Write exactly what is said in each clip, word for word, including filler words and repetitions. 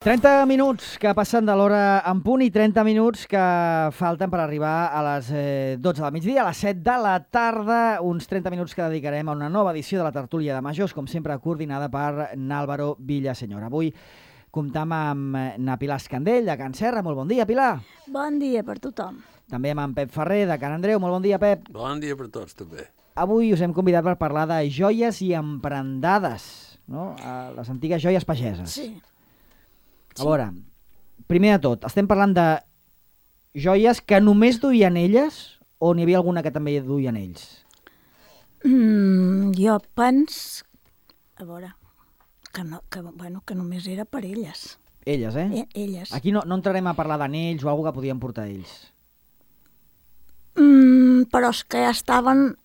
trenta minuts que passen de l'hora en punt i trenta minuts que falten per arribar a les eh, dotze del migdia, a les set de la tarda, uns trenta minuts que dedicarem a una nova edició de la tertúlia de Majors, com sempre coordinada per n'Àlvaro Villaseñor. Avui comptam amb na Pilar Escandell, de Can Serra. Molt bon dia, Pilar. Bon dia per tothom. També amb en Pep Ferrer, de Can Andreu. Molt bon dia, Pep. Bon dia per tots, també. Avui us hem convidat per parlar de joies i emprendades, no? Les antigues joies pageses. Sí. A veure, primer de tot, estem parlant de joies que només duien elles o n'hi havia alguna que també duien ells? Mm, jo penso, a veure, que, no, que, bueno, que només era per elles. Elles, eh? E elles. Aquí no, no entrarem a parlar d'anells o alguna que podien portar ells. Mm, però és que ja estaven,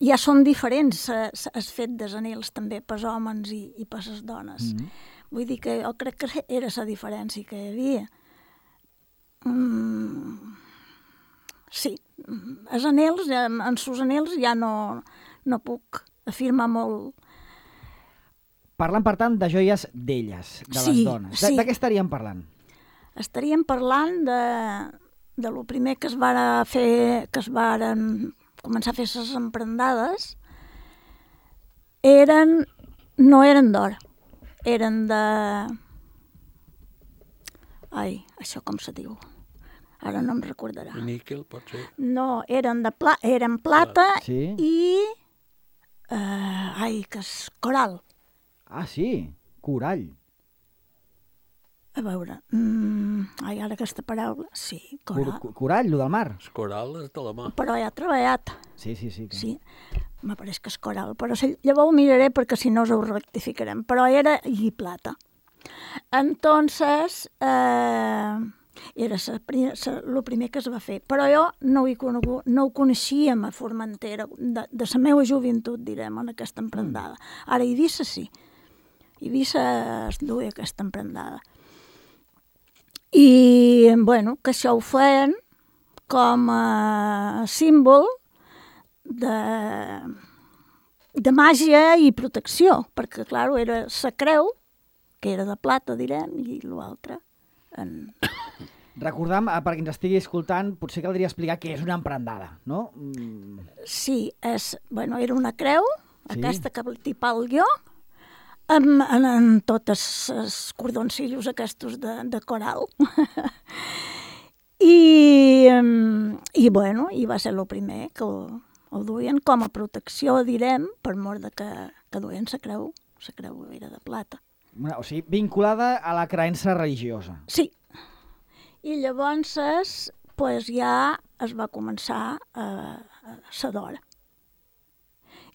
ja són diferents els fet dels anells també per als homes i, i per a les dones. Mm -hmm. Vull dir que jo crec que era la diferència que hi havia. Mm, sí, els anells, en sus anells ja no, no puc afirmar molt. Parlant, per tant, de joies d'elles, de sí, les dones. De, sí. de què estaríem parlant? Estaríem parlant de, de lo primer que es va fer, que es varen començar a fer les emprendades, eren, no eren d'or. Eren de... Ai, això com se diu? Ara no em recordarà. Níquel, pot ser? No, eren de pla... eren plata sí? i... Uh, ai, que és coral. Ah, sí? Corall. A veure... Mm, ai, ara aquesta paraula... Sí, coral. Cor corall, lo del mar. El coral és de la mà. Però ja ha treballat. Sí, sí, sí. Que... Sí. M'apareix que és coral, però si, llavors ho miraré perquè si no us ho rectificarem. Però era i plata. Entonces, eh, era el primer que es va fer. Però jo no ho, conegut, no ho coneixíem a Formentera, de, de la meva joventut, direm, en aquesta emprendada. Ara, a Eivissa sí. A Eivissa es duia aquesta emprendada. I, bueno, que això ho feien com a símbol de, de màgia i protecció, perquè, clar, era la creu, que era de plata, direm, i l'altre en... Recordam, per qui ens estigui escoltant, potser caldria explicar què és una emprendada, no? Mm. Sí, és, bueno, era una creu, sí? Aquesta que tipal jo, amb, en, en tots els cordoncillos aquests de, de coral. I, i, bueno, i va ser el primer que ho, ho duien com a protecció, direm, per mort de que, que duien la creu, la creu era de plata. O sigui, vinculada a la creença religiosa. Sí. I llavors, pues, ja es va començar a, a la d'or.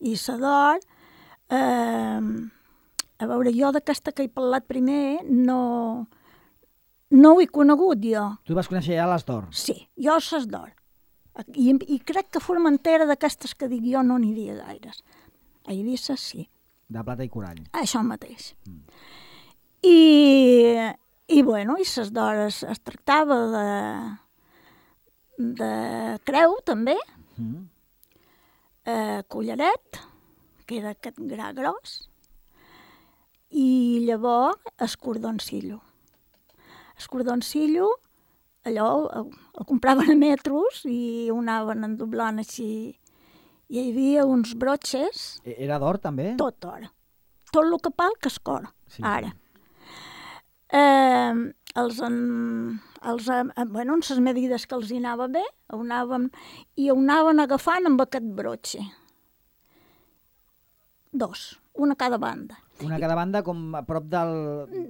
I la d'or, eh, a veure, jo d'aquesta que he parlat primer, no, no ho he conegut jo. Tu vas conèixer ja les d'or? Sí, jo les d'or. I, I crec que Formentera d'aquestes que dic jo no n'hi havia gaires. A Eivissa sí. De plata i corall. Això mateix. Mm. I, i bueno, i les d'hores es tractava de, de creu, també, mm. eh, collaret, que era aquest gra gros, i llavors el cordoncillo. El cordoncillo, allò el, el compraven a metros i ho anaven endoblant així. Hi havia uns brotxes... Era d'or, també? Tot or. Tot el que pal que es cor, sí, ara. Eh, els, en, els, eh, bueno, en les medides que els hi anava bé, ho anàvem, i ho anaven agafant amb aquest brotxe. Dos, una a cada banda. Una a cada banda, com a prop del...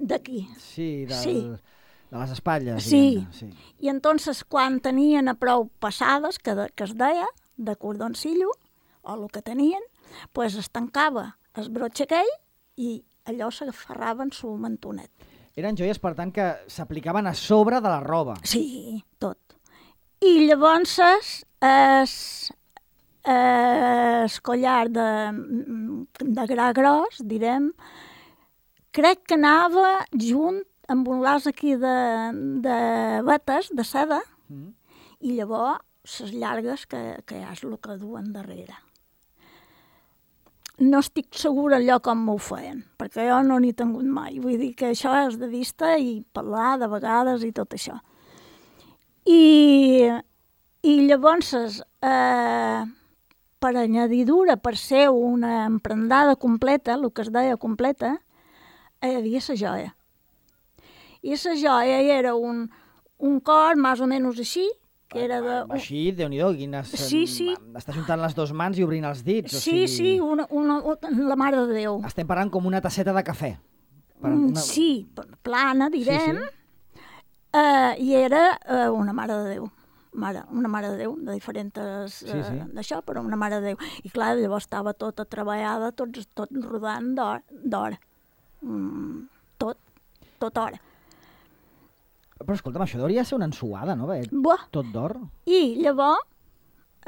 D'aquí. Sí, del... sí. De les espatlles. Sí. sí, i entonces quan tenien a prou passades, que, de, que es deia, de cordoncillo, o el que tenien, pues es tancava el brotxe aquell i allò s'aferraven su mantonet. Eren joies, per tant, que s'aplicaven a sobre de la roba. Sí, tot. I llavors es, es collar de, de gra gros, direm, crec que anava junt amb un las aquí de, de bates, de seda, mm. i llavors les llargues, que, que ja és el que duen darrere. no estic segura allò com m'ho feien, perquè jo no n'he tingut mai. Vull dir que això és de vista i parlar de vegades i tot això. I, i llavors, eh, per añadidura, per ser una emprendada completa, el que es deia completa, hi havia la joia. I la joia era un, un cor més o menys així, que era de... Així, Déu-n'hi-do, quines... Sí, sí. Està juntant les dues mans i obrint els dits. O Sí, sigui... sí, una, una, la Mare de Déu. Estem parlant com una tasseta de cafè. Per Mm, una... Sí, plana, direm, Sí, sí. Eh, i era eh, una Mare de Déu. Mare, una Mare de Déu, de diferents eh, Sí, sí. d'això, però una Mare de Déu. I clar, llavors estava tota treballada, tot, tot rodant d'hora. Mm, tot, tota hora. Però escolta'm, això hauria de ser una ensuada, no? Bé, Buah. tot d'or. I llavors,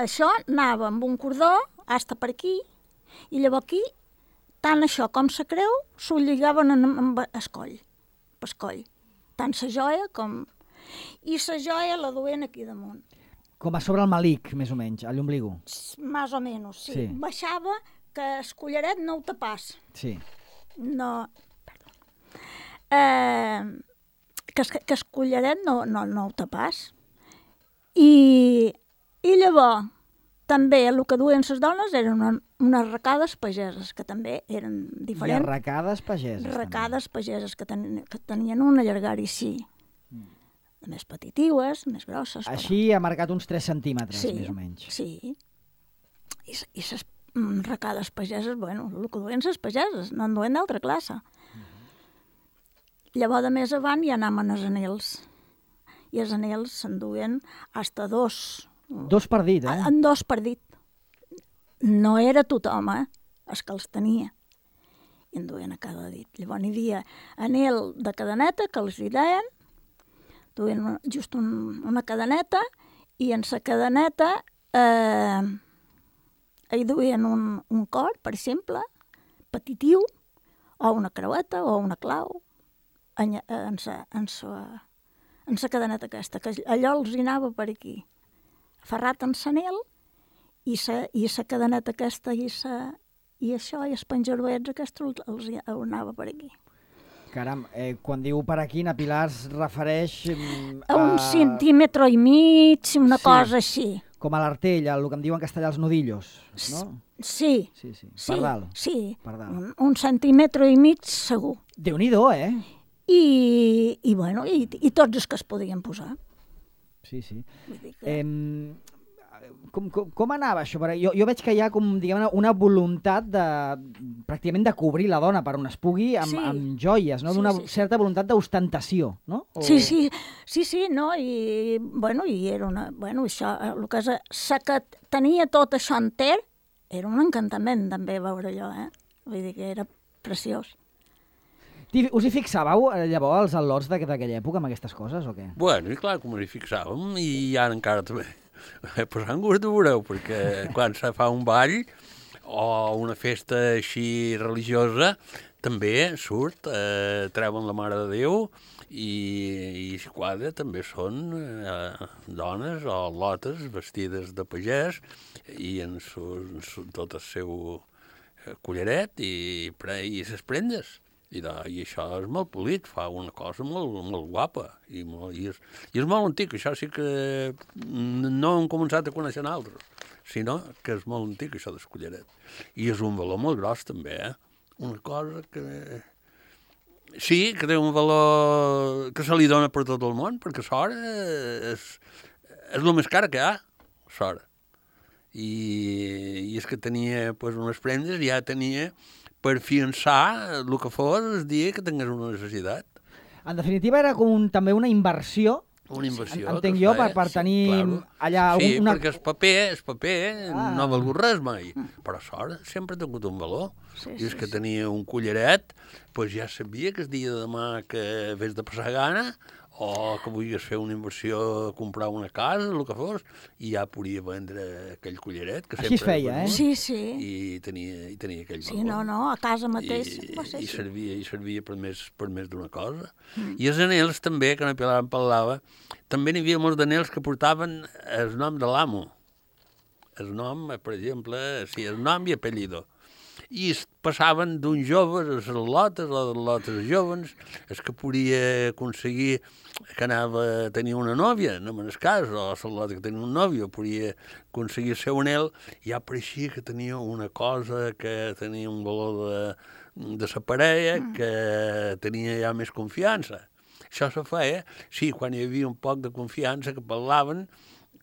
això anava amb un cordó, hasta per aquí, i llavors aquí, tant això com la creu, s'ho lligaven amb, amb el coll, pel coll. Tant la joia com... I la joia la duien aquí damunt. Com a sobre el malic, més o menys, a l'ombligo. Més o menys, sí. Sí. Baixava que el collaret no ho tapàs. Sí. No... Perdó. Eh, que, es, que el collaret no, no, no ho tapàs. I, i llavors, també el que duien les dones eren una, unes arracades pageses, que també eren I diferents. arracades pageses. Arracades pageses, que, ten, que tenien una llargària així. Mm. Més petitiues, més grosses. Però... Així ha marcat uns tres centímetres, sí, més o menys. Sí, i les mm, arracades pageses, bueno, el que duien les pageses, no en duien d'altra classe. Mm -hmm. Llavors, de més avant, ja anaven els anells. I els anells s'enduien hasta dos. Dos per dit, eh? En dos per dit. No era tothom, eh? Els que els tenia. I en duien a cada dit. Llavors hi havia anell de cadeneta, que els hi deien, duien just un, una cadeneta, i en la cadeneta eh, hi duien un, un cor, per exemple, petitiu, o una creueta, o una clau, en, en, sa, en, sa, en sa cadeneta aquesta, que allò els hi anava per aquí, ferrat en l'anell, i sa, i sa cadeneta aquesta, i, sa, i això, i els penjaruets aquests, els, els hi anava per aquí. Caram, eh, quan diu per aquí, na Pilar es refereix... Mm, a un centímetre i mig, una sí, cosa així. Com a l'artell, el que en diuen en castellà els nudillos, no? Sí. Sí, sí. Sí, Per dalt. sí. Per dalt. Un, un centímetre i mig segur. Déu-n'hi-do, eh? I, i bueno, i, i tots els que es podien posar. Sí, sí. Vull dir que... Eh, com, com, com anava això? Jo, jo veig que hi ha com, diguem, una voluntat de, pràcticament de cobrir la dona per on es pugui amb, Sí. amb joies, no? Sí, D'una sí, sí. certa voluntat d'ostentació, no? O... Sí, sí, sí, sí, no, i, bueno, i era una, bueno, això, el que és, sa que tenia tot això enter, era un encantament també veure allò, eh? Vull dir que era preciós. Us hi fixàveu, eh, llavors, els al·lots d'aquella època amb aquestes coses, o què? Bueno, i clar, com hi fixàvem, i ara encara també. Posant gust ho veureu, perquè quan se fa un ball o una festa així religiosa, també surt, eh, treuen la Mare de Déu, i, i si quadra també són eh, dones o lotes vestides de pagès i en, su, en su, tot el seu collaret i, i les prendes. I, de, I això és molt polit, fa una cosa molt, molt guapa i, molt, i, és, i és molt antic, això sí que no hem començat a conèixer altres, sinó que és molt antic això del collaret. I és un valor molt gros també, eh? Una cosa que... Sí, que té un valor que se li dona per tot el món, perquè l'hora és, és el més cara que hi ha, l'hora. I, I és que tenia pues, unes prendes, ja tenia per fiançar el que fos el dia que tingués una necessitat. En definitiva, era com un, també una inversió. Una inversió. Entenc jo, per, per tenir sí, claro. allà... Sí, una... perquè el paper, el paper ah. no ha valgut res mai, però sort sempre ha tingut un valor. Sí, I és sí, que sí. tenia un collaret, doncs ja sabia que el dia de demà que hagués de passar gana, o que volies fer una inversió, comprar una casa, el que fos, i ja podia vendre aquell collaret, que Així sempre... es feia, eh? Sí, sí. I tenia, i tenia aquell valor. Sí, no, no, a casa mateix I, va ser i així. servia, i servia per més, per més d'una cosa. Mm. I els anells també, que la Pilar en parlava, també n'hi havia molts d'anells que portaven el nom de l'amo. El nom, per exemple, sí, el nom i apellido. i passaven d'uns joves a les lotes, a les lotes joves, el que podia aconseguir que anava a tenir una nòvia, no en el cas, o la lota que tenia un nòvio, podia aconseguir el seu anel, ja pareixia que tenia una cosa, que tenia un valor de, de la parella, que tenia ja més confiança. Això se feia, sí, quan hi havia un poc de confiança, que parlaven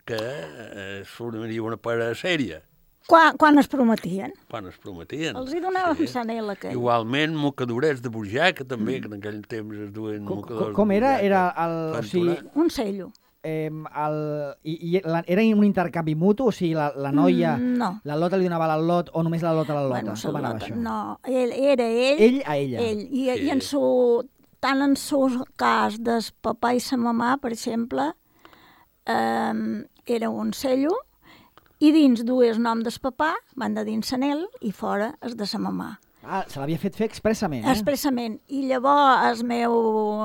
que eh, formaria una parella sèria. Quan, quan es prometien. Quan es prometien. Els hi donaven sí. l'anell aquell. Igualment, mocadorets de burjaca, també, mm. que en aquell temps es duen com, mocadors com era? de Era el... O sigui, un cello. Eh, el, i, i la, era un intercanvi mutu? O sigui, la, la noia, mm, no. la lota li donava al lot o només la lota a la lota? Bueno, com anava lota, això? no, ell, era ell. Ell a ella? Ell. I, sí. i en su, tant en su cas del papà i sa mamà, per exemple, eh, era un cello, i dins dues nom del papà, van de dins l'anell, i fora es de sa mamà. Ah, se l'havia fet fer expressament, eh? Expressament. I llavors el meu,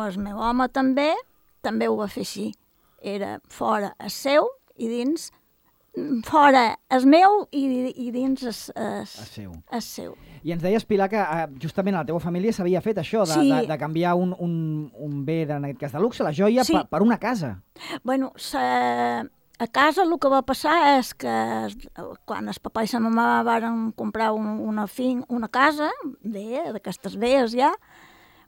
el meu home també, també ho va fer així. Era fora el seu i dins, fora el meu i, i dins el, el, el, seu. el seu. I ens deies, Pilar, que justament a la teva família s'havia fet això, de, sí. de, de canviar un, un, un bé, en aquest cas de luxe, la joia, sí. per, per una casa. Bueno, sa... A casa el que va passar és que quan el papà i la mamà van comprar un, una, fin, una casa, bé, d'aquestes vees ja,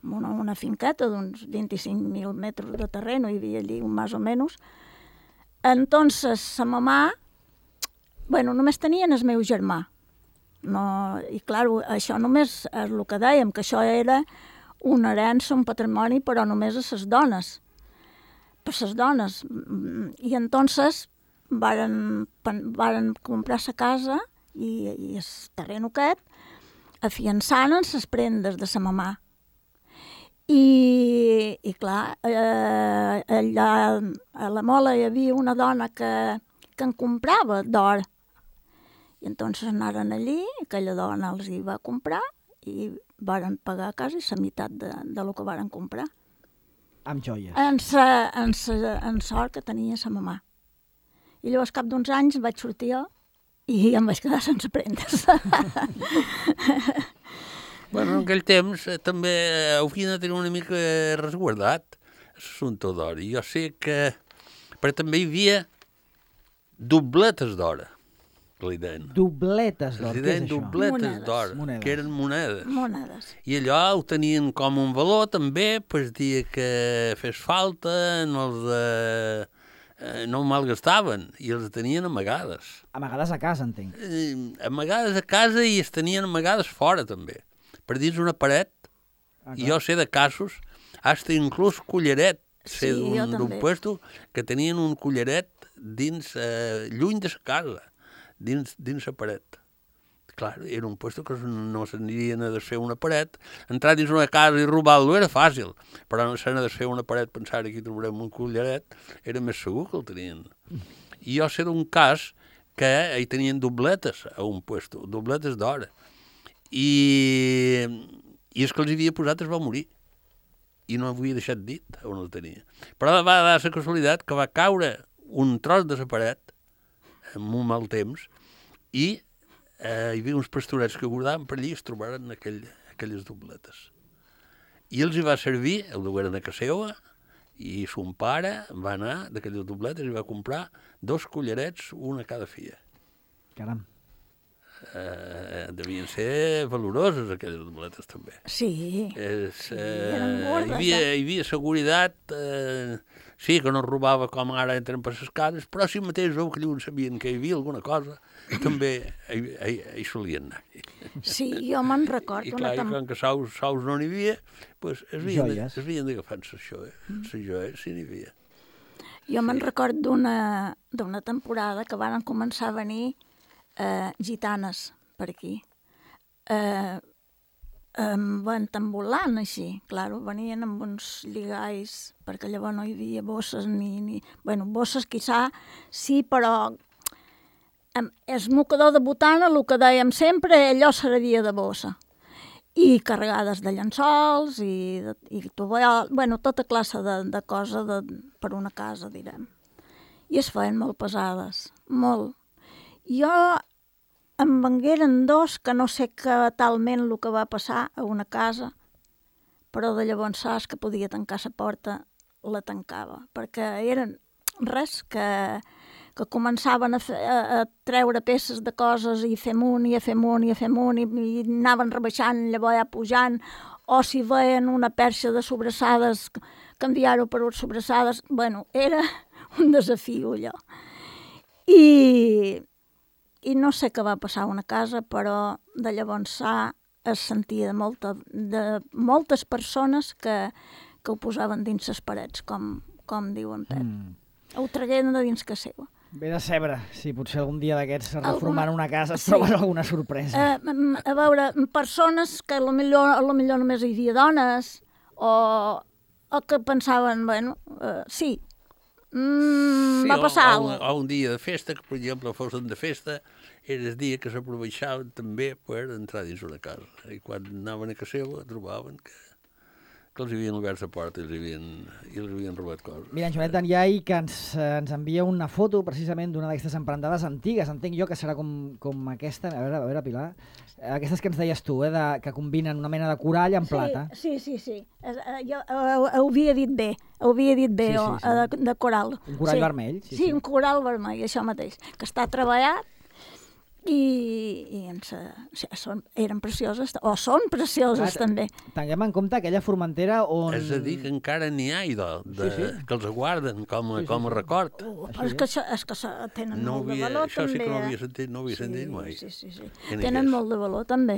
una, una finqueta d'uns vint-i-cinc mil metres de terreno, hi havia allí un més o menys. Entonces, la mamà, bueno, només tenien el meu germà. No, i clar, això només és el que dèiem, que això era una herència, un patrimoni, però només a les dones. Per les dones. I entonces varen, varen comprar la casa i, i el terreno aquest afiançant les prendes de sa mamà. I, i clar, eh, allà a la Mola hi havia una dona que, que en comprava d'or. I entonces anaren allí, aquella dona els hi va comprar i varen pagar quasi la meitat de, de lo que varen comprar. Amb joies. En, sa, en, sa, en sort que tenia sa mamà. I llavors, cap d'uns anys, vaig sortir jo i em vaig quedar sense prendes. Bueno, en aquell temps eh, també hauria de tenir una mica resguardat l'assumpte d'or. Jo sé que... Però també hi havia dobletes d'or, que li deien. Dobletes d'or, què és això? Dobletes d'or, que eren monedes. Monedes. I allò ho tenien com un valor també, per dia que fes falta, no els eh, no malgastaven, i els tenien amagades. Amagades a casa, entenc. Eh, amagades a casa i es tenien amagades fora, també. Per dins una paret, ah, i jo sé de casos, hasta inclús collaret, sé sí, d'un puesto que tenien un collaret dins, eh, lluny de la casa, dins, dins la paret. Clar, era un puesto que no s'anirien a desfer una paret. Entrar dins una casa i robar-lo era fàcil, però no s'han a desfer una paret, pensar que aquí trobarem un collaret, era més segur que el tenien. I jo sé d'un cas que hi tenien dobletes a un puesto, dobletes d'hora. I, i és que els havia posat es va morir. I no havia deixat dit on el tenia. Però va dar la casualitat que va caure un tros de la paret en un mal temps i eh, hi havia uns pastorets que guardaven per allí i es trobaren aquell, aquelles dobletes. I els hi va servir, el dugueren a casa seva, i son pare va anar d'aquelles dobletes i va comprar dos collarets, una a cada filla. Caram. Eh, devien ser valoroses aquelles dobletes també. Sí, És, sí eh, eren gordes. Hi havia, hi havia seguretat, eh, sí, que no robava com ara entren per les cases, però si mateix veu que llavors sabien que hi havia alguna cosa, també hi, hi, hi solien anar. Sí, jo me'n recordo. I clar, tam... i com que saus, saus no n'hi havia, doncs es havien, de, Joies. es havien d'agafar les joies, les joies sí n'hi havia. Jo me'n recordo d'una d'una temporada que van començar a venir eh, gitanes per aquí. Eh, em van tambolant així, claro, venien amb uns lligalls, perquè llavors no hi havia bosses ni... ni... Bueno, bosses quizà sí, però el mocador de botana, el que dèiem sempre, allò servia de bossa. I carregades de llençols i, de, i tovall, bueno, tota classe de, de cosa de, per una casa, direm. I es feien molt pesades, molt. Jo em vengueren dos que no sé que talment el que va passar a una casa, però de llavors saps que podia tancar la porta, la tancava, perquè eren res que, que començaven a, fer, a, a treure peces de coses i fem un, i a fem un, i a fem un, i, i anaven rebaixant, llavors ja pujant, o si veien una perxa de sobrassades, canviar-ho per unes sobrassades. Bueno, era un desafiu, allò. I, i no sé què va passar a una casa, però de llavors es sentia de, molta, de moltes persones que, que ho posaven dins les parets, com, com diu en Pep. Mm. Ho tragueren de dins que seva. Ve de cebre, si potser algun dia d'aquests reformant una casa es sí. trobes alguna sorpresa. Uh, a veure, persones que potser, potser només hi havia dones, o, o que pensaven, bueno, uh, sí, mm, sí, va passar o, alguna cosa. O un dia de festa, que per exemple fossin de festa, era el dia que s'aprovechaven també per entrar dins una casa. I quan anaven a casa seva trobaven que que els havien obert la porta i els havien, i els havien robat coses. Mira, en Joanet Anyai, que ens, ens envia una foto precisament d'una d'aquestes emprendades antigues, entenc jo que serà com, com aquesta, a veure, a veure, Pilar, aquestes que ens deies tu, eh, de, que combinen una mena de corall amb sí, plata. Sí, sí, sí, jo ho, ho havia dit bé, ho havia dit bé, sí, sí, sí. O, de, de coral. Un corall sí. vermell. Sí, sí, sí, un coral vermell, això mateix, que està treballat, i, i ens, o sigui, són, eren precioses, o són precioses, ah, també. Tinguem en compte aquella Formentera on... És a dir, que encara n'hi ha, de, de, sí, sí. que els aguarden com a, sí, sí. com a record. Uh, però és que, això, és que tenen no molt havia, de valor, això també. Això sí que no havia sentit, no havia sí, sentit mai. Sí, sí, sí. Tenen molt de valor, també.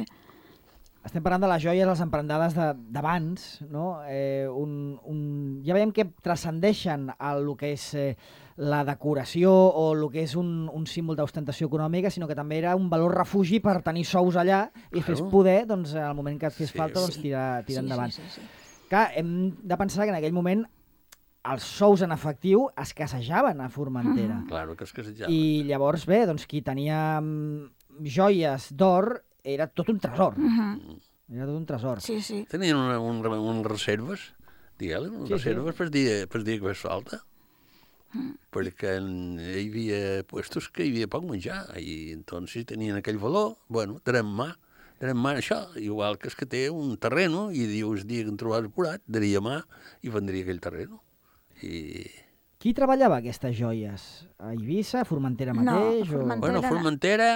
Estem parlant de les joies, les emprendades d'abans, no? Eh, un, un... Ja veiem que transcendeixen el que és eh, la decoració o el que és un, un símbol d'ostentació econòmica, sinó que també era un valor refugi per tenir sous allà i claro. Fes poder, doncs, al moment que et fes sí, falta, doncs, tirar, tirar sí, endavant. Sí, sí, sí. Clar, hem de pensar que en aquell moment els sous en efectiu escassejaven a Formentera. Uh-huh. Claro que escassejaven. I llavors, bé, doncs, qui tenia joies d'or era tot un tresor. Uh-huh. Era tot un tresor. Sí, sí. Tenien una, un, un reserves, diguem, un sí, reserves sí. per dir, per dir que fes falta. Mm. Perquè hi havia puestos que hi havia poc menjar i entonces tenien aquell valor, bueno, darem mà, darem mà això, igual que és que té un terreno i dius, el dia que en trobàs apurat, daria mà i vendria aquell terreno. I... Qui treballava aquestes joies? A Eivissa, a Formentera mateix? No, a Formentera... O... Bueno, a Formentera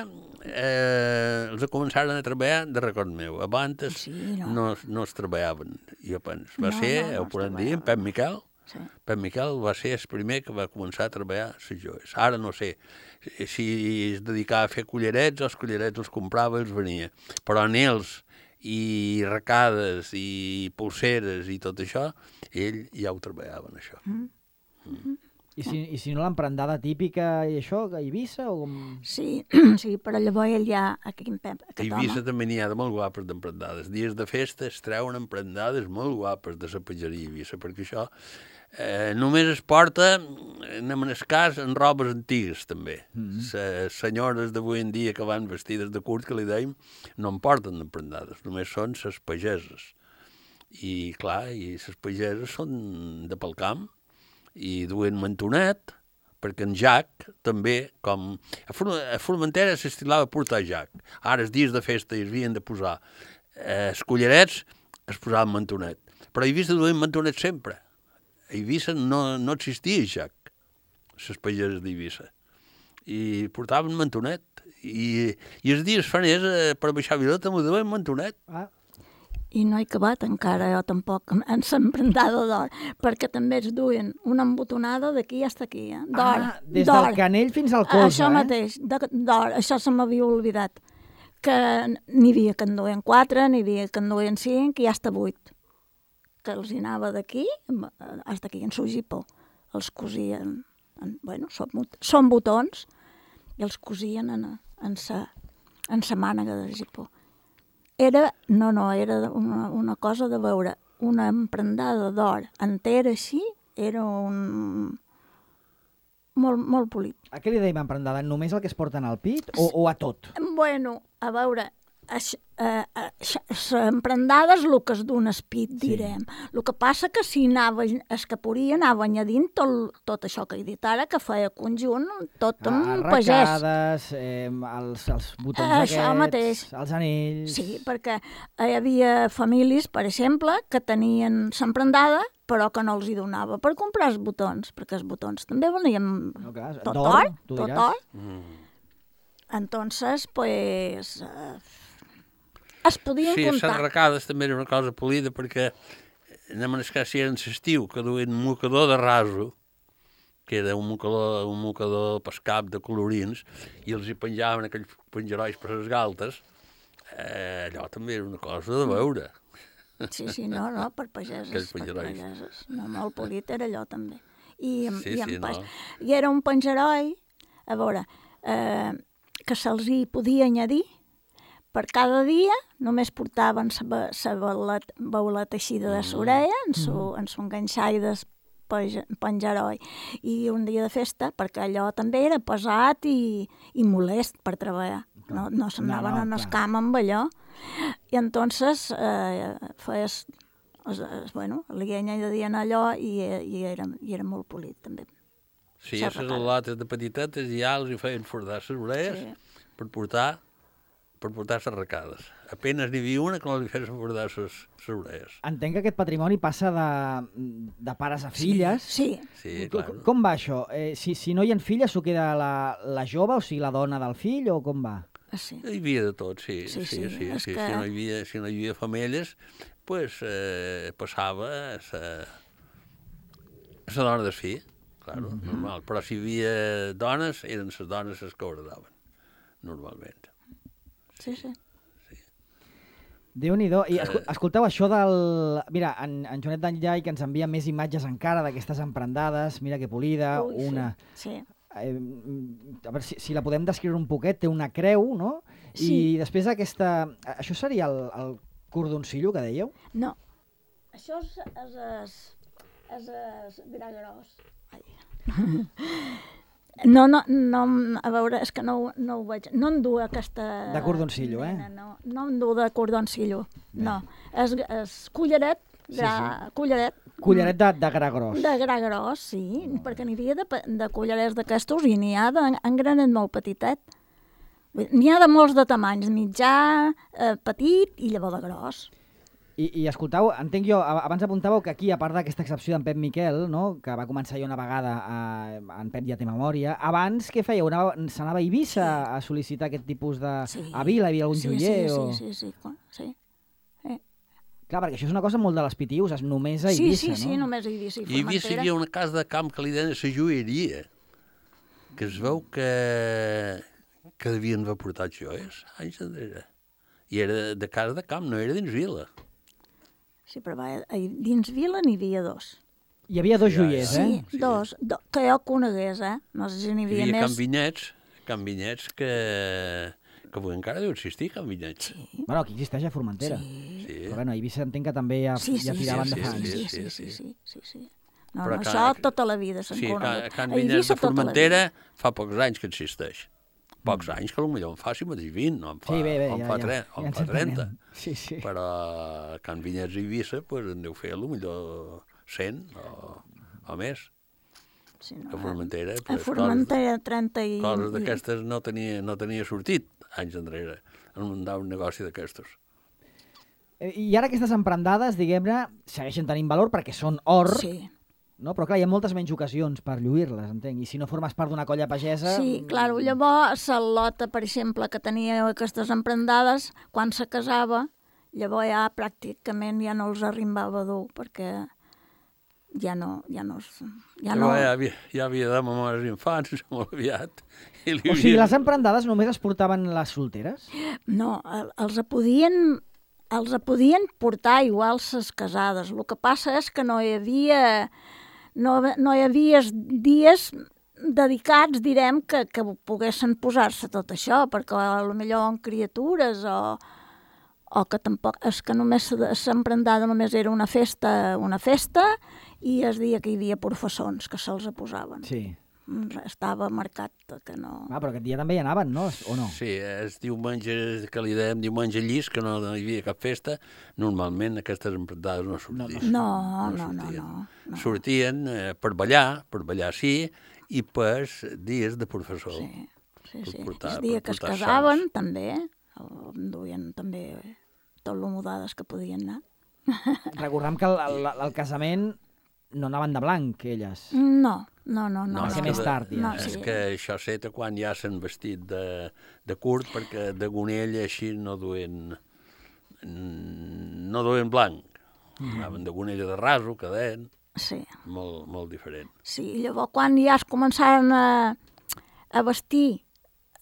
eh, els començaren a treballar de record meu. Abans sí, no. No, no es treballaven. Jo penso, va no, ser, no, no ho podem dir, en Pep Miquel. Sí. Pep Miquel va ser el primer que va començar a treballar les joies. Ara no sé si es dedicava a fer cullerets, els cullerets els comprava i els venia. Però anells i recades i pulseres i tot això, ell ja ho treballava, això. Mm. Mm. I, si, I si no l'emprendada típica i això, a Eivissa? O com... Sí, sí, però llavors ell ja, aquí en Pep, aquest home... A Eivissa també n'hi ha de molt guapes d'emprendades. Dies de festa es treuen emprendades molt guapes de la pageria a Eivissa, perquè això eh, només es porta, anem en el cas, en robes antigues també. Mm-hmm. Les senyores d'avui en dia que van vestides de curt, que li dèiem, no en porten d'emprendades, només són les pageses. I clar, i les pageses són de pel camp, i duen mantonet, perquè en jac també, com... A Formentera s'estilava portar jac. Ara, els dies de festa, hi havien de posar eh, els cullerets, es posaven mantonet. Però a Eivissa duen mantonet sempre. A Eivissa no, no existia jac, les pageses d'Eivissa. I portaven mantonet. I, i els dies faners, eh, per baixar a Vilota, m'ho duen mantonet. Ah. I no he acabat encara, jo tampoc, en l'emprendada d'or, perquè també es duien una embotonada d'aquí fins aquí, eh? D'or. Ah, des del canell fins al colze, això eh? mateix, d'or, això se m'havia oblidat. Que n'hi havia que en duien quatre, n'hi havia que en duien cinc i hasta vuit. Que els hi anava d'aquí, fins aquí, en su gipó. Els cosien, en, bueno, són, són botons, i els cosien en, en sa, en sa mànega de gipó. Era, no, no, era una, una cosa de veure una emprendada d'or entera així, era un... molt, molt polit. A què li dèiem emprendada? Només el que es porten al pit o, o a tot? Bueno, a veure, l'emprendada és el que es d'un espit, direm. El que passa que si anava, es que podia, anava añadint tot, tot això que he dit ara, que feia conjunt, tot amb pagès. Arracades, eh, els, els botons Això aquests, mateix. els anells... Sí, perquè hi havia famílies, per exemple, que tenien l'emprendada, però que no els hi donava per comprar els botons, perquè els botons també venien No, clar, tot d'or, or, tu tot diràs. or. Mm. Entonces, pues, eh, es podien Sí, les comptar. arracades també era una cosa polida perquè anem a escar si eren l'estiu, que duien un mocador de raso, que era un mocador, un mocador pescat de colorins, i els hi penjaven aquells penjarois per les galtes. Eh, allò també era una cosa de veure. Sí, sí, no, no, per pageses, Aquells per penjarois. pageses. No, molt polit era allò també. I, Sí, i, sí, en pas. no. I era un penjaroi, a veure, eh, que se'ls hi podia añadir. Per cada dia només portaven la baulet eixida de l'orella, en su, en su enganxall de penjaroi. I un dia de festa, perquè allò també era pesat i, i molest per treballar. No, no s'anaven No, no, no, a clar. escam amb allò. I entonces eh, feies, es, es, bueno, li añadien allò i, i, era, i era molt polit també. Sí, S'ha les arracades. lates de petitetes ja els hi feien fordar les orelles Sí. per portar per portar les arracades. Apenas n'hi havia una que no li fes fordar les orelles. Entenc que aquest patrimoni passa de, de pares a filles. Sí, Sí, Com- clar. Com va això? Eh, si, si no hi ha filles, s'ho queda la, la jove, o sigui, la dona del fill, o com va? sí. Hi havia de tot, sí. Sí, sí, sí, sí, és sí. que- Si, no hi havia, si no hi havia femelles, pues, eh, passava a la dona del fill, claro, Mhm. normal. Però si hi havia dones, eren les dones les que ho heredaven, normalment. Sí, sí. Déu-n'hi-do. I Eh. escol escolteu això del... Mira, en, en Joanet d'Enllai, que ens envia més imatges encara d'aquestes emprendades. Mira que polida, Ui, una... Sí. Eh, a veure si, si la podem descriure un poquet. Té una creu, no? Sí. I després aquesta... Això seria el, el cordoncillo que dèieu? No. Això és, és, és, és, és gra gros. Ai. No, no, no, a veure, és que no, ho- no ho veig. No em du aquesta... De cordoncillo, eh? nena, No, no em du de cordoncillo, no. És, és collaret, gra, Sí, collaret. Collaret de, de gra gros. De gra gros, sí, perquè n'hi havia de, pe- de collarets d'aquestos i n'hi ha de, en granet molt petitet. Vull dir, n'hi ha de molts de tamanys, mitjà, eh, petit i llavors de gros. I, I escoltau, entenc jo, a- abans apuntàveu que aquí, a part d'aquesta excepció d'en Pep Miquel, no? Que va començar ja una vegada, a, en Pep ja té memòria, abans què fèieu? Anava- S'anava a Eivissa a sol·licitar aquest tipus de... Sí. A Vila, hi havia algun sí, joier? sí, o... sí, sí, sí, sí. Clar, perquè això és una cosa molt de les pitius, és només a Sí, Eivissa, sí, sí, no? només a Eivissa i I hi havia, hi Formentera. havia una casa de camp que li deien la joieria, que es veu que, que devien haver portat joies anys enrere. I era de casa de camp, no era dins vila. Sí, però va, a- dins Vila n'hi havia dos. Hi havia dos Ja, ja. joiers, Sí, eh? Sí. dos, do, que jo conegués, eh? No sé si n'hi Hi havia havia més. Can Vinyets, Can Vinyets que, que avui encara deu existir, Can Vinyets. Sí, Bueno, aquí existeix a Formentera. sí, Sí. Però bueno, a Eivissa entenc que també ja, sí, ja sí, tiraven sí, de fa sí, anys. sí, sí, sí, sí. sí, sí, sí. No, Però no, Can- això tota la vida s'han Sí, Can, conegut. Can A Vinyets Eivissa de tota la Formentera vida. fa pocs anys que existeix. Pocs Mm. anys, que potser en fa si mateix vint, no en fa, Sí, bé, bé, o en ja, fa, ja, tre, ja o en ens fa entenem. trenta. Sí, sí. Però Can Vinyets i Eivissa pues, en deu fer potser cent o, o més. Sí, no, A Formentera, a pues, Formentera trenta i... coses, coses i- d'aquestes no tenia, no tenia sortit anys enrere en un, un negoci d'aquestos. Eh, I ara aquestes emprendades, diguem-ne, segueixen tenint valor perquè són or, Sí, no? Però clar, hi ha moltes menys ocasions per lluir-les, entenc. I si no formes part d'una colla pagesa... sí, clar, llavors la lota, per exemple, que tenia aquestes emprendades, quan se casava, llavors ja pràcticament ja no els arrimbava dur, perquè ja no, ja no, es- ja no... Però ja havia, ja havia de mamar els infants molt aviat. I li O sigui, havien- les emprendades només es portaven les solteres? No, el- els podien, els podien portar igual les casades. El que passa és que no hi havia, no, no hi havia dies dedicats, direm, que, que poguessin posar-se tot això, perquè a lo millor en criatures o, o que tampoc, és que només l'emprendada només era una festa, una festa i el dia que hi havia professors que se'ls posaven. Sí. estava marcat que no... Ah, però aquest dia també hi anaven, no? O no? Sí, és diumenge, que li dèiem diumenge llis, que no hi havia cap festa, normalment aquestes emprendades no sortien. No, no, no, sortien. no. no. Sortien eh, per ballar, per ballar sí, i per dies de professor. Sí, sí, Per sí. portar- El dia per que es portar casaven, sants. també, em duien també tot lo mudades que podien anar. Recordem que el, el, el casament no anaven de blanc, elles. No, no, no. no, Va és ser que més de- tard, ja. No, És sí. que això seta quan ja s'han vestit de, de curt, perquè de gonella així no duen, no duen blanc. Anaven de gonella de raso, cadent, Sí, molt, molt diferent. sí. Llavors, quan ja es començaren a, a vestir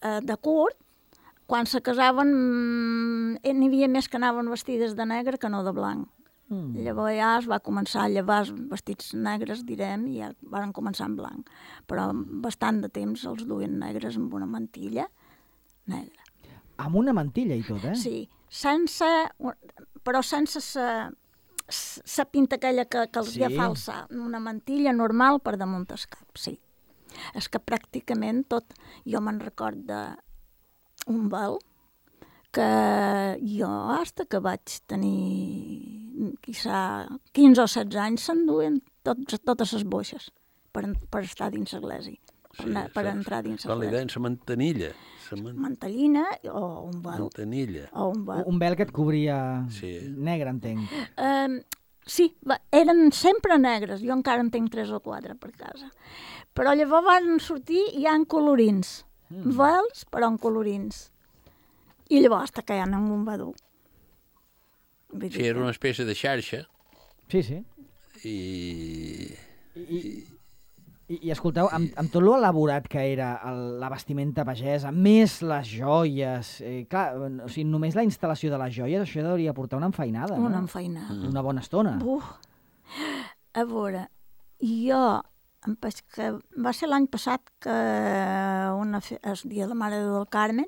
eh, de curt, quan se casaven mm, n'hi havia més que anaven vestides de negre que no de blanc. Mm. Llavors ja es va començar a llevar els vestits negres, direm, i ja van començar en blanc. Però bastant de temps els duien negres amb una mantilla negra. Amb una mantilla i tot, eh? Sí, sense, però sense sa, sa pinta aquella que, que els Sí. dia falsa, una mantilla normal per damunt el cap, sí. És que pràcticament tot, jo me'n record d'un vel que jo, hasta que vaig tenir, quizà, quinze o setze anys, s'enduen tots, totes les boixes per, per estar dins l'església, per, Sí, anar- per saps? entrar dins Quan li l'església. deien la mantanilla, la man- Mantellina o un vel. mantanilla. O un vel. Un vel que et cobria Sí. negre, entenc. Um, sí, va, eren sempre negres, jo encara en tinc tres o quatre per casa. Però llavors van sortir ja en colorins, mm. vels però en colorins. I llavors hasta que ja no un badú. Vull Sí, dir era que- una espècie de xarxa Sí, sí. i... I, i, i, i escolteu, amb, amb tot lo elaborat que era el, la vestimenta pagesa, més les joies, eh, clar, o sigui, només la instal·lació de les joies, això deuria portar una enfeinada, no? una enfeinada. Una bona estona. Uf. A veure, jo, em penso que va ser l'any passat que una fe... el dia de la Mare del Carmen,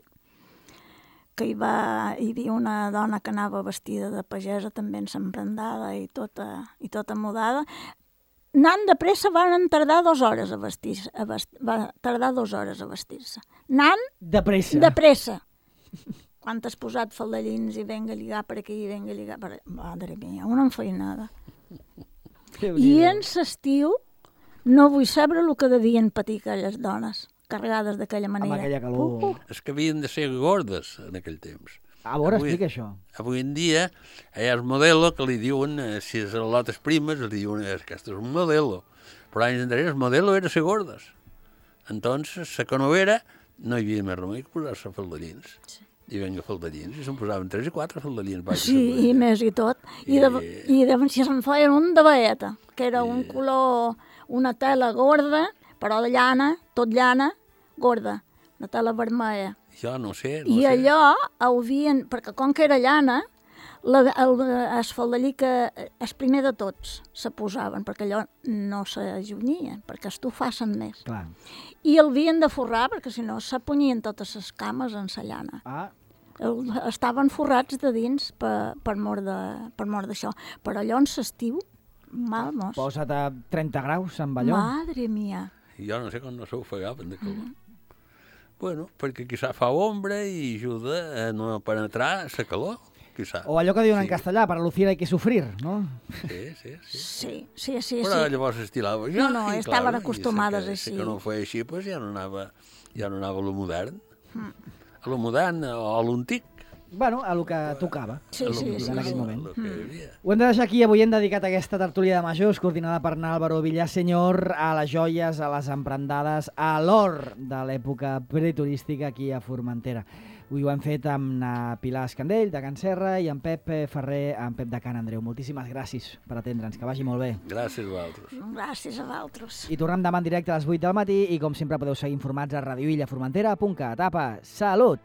que hi, va, hi havia una dona que anava vestida de pagesa, també ensembrandada i tota, i tota mudada. Anant de pressa van tardar dues hores a vestir-se. A vest... Va tardar dues hores a vestir-se. Anant De pressa. de pressa. Quan t'has posat faldellins i venga a lligar per aquí, venga a lligar per... Madre mia, una enfeinada. I en l'estiu no vull saber el que devien patir aquelles dones, carregades d'aquella manera. Amb aquella calor. Uh, uh. és que havien de ser gordes en aquell temps. A veure, Avui- explica això. Avui en dia hi ha el modelo que li diuen, eh, si és a lotes primes, li diuen que aquest és un modelo. Però anys enrere el modelo era ser gordes. Entonces, la que no era, no hi havia més remei que posar-se faldellins. Sí. I venga faldellins, i se'n posaven tres i quatre faldellins. vaja, Sí, i faldellins. més i tot. I, de, I- i de, si se'n feien un de baeta, que era un I- color, una tela gorda, però de llana, tot llana, gorda, una tela vermella. Jo no sé, no I sé. allò ho havien, perquè com que era llana, la, el, el faldellí que el primer de tots se posaven, perquè allò no s'allunyia, perquè estofassen més. Clar. I el havien de forrar, perquè si no s'apunyien totes les cames en la llana. Ah, El, estaven forrats de dins per, per mort de- per mort d'això. Però allò en l'estiu, vamos, posa't a trenta graus amb allò. madre mia. Jo no sé com no s'ofegaven de calor. Mm -hmm. Bueno, perquè quizà fa ombra i ajuda a no penetrar la calor, quizà. O allò que diuen en Sí. castellà, para lucir hay que sufrir, no? Sí, sí, sí. Sí, sí, sí. Però sí. llavors estilava jo. No, no, i, estaven clar, acostumades i si així. que, si que no ho feia així, doncs ja no anava, ja no anava a lo modern. Mm. A lo modern o a l'antic. Bueno, a lo que tocava. Sí, a lo sí, que- sí, en aquell sí. moment. a lo que hi havia. Ho hem de deixar aquí. Avui hem dedicat aquesta tertúlia de majors, coordinada per Álvaro Villaseñor, a les joies, a les emprendades, a l'or de l'època preturística aquí a Formentera. Avui ho hem fet amb na Pilar Escandell, de Can Serra, i amb Pep Ferrer, amb Pep de Can Andreu. Moltíssimes gràcies per atendre'ns, que vagi molt bé. Gràcies a vosaltres. Gràcies a vosaltres. I tornem demà en directe a les vuit del matí i, com sempre, podeu seguir informats a radioillaformentera punt cat. Apa, salut!